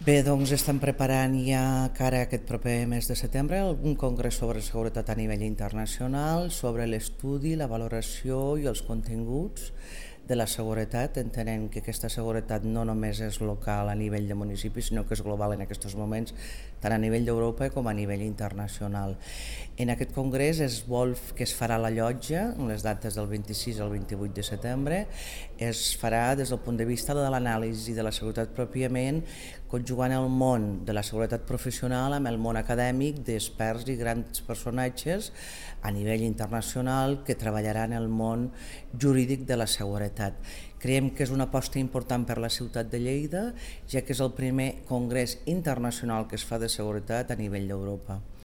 Bé, doncs estem preparant ja cara a aquest proper mes de setembre un congrés sobre seguretat a nivell internacional, sobre l'estudi, la valoració i els continguts de la seguretat, entenent que aquesta seguretat no només és local a nivell de municipi, sinó que és global en aquests moments, tant a nivell d'Europa com a nivell internacional. En aquest congrés es vol que es farà a la Llotja, en les dates del 26 al 28 de setembre, es farà des del punt de vista de l'anàlisi de la seguretat pròpiament, conjugant el món de la seguretat professional amb el món acadèmic d'experts i grans personatges a nivell internacional que treballaran el món jurídic de la seguretat. Creiem que és una aposta important per la ciutat de Lleida, ja que és el primer congrés internacional que es fa de seguretat a nivell d'Europa.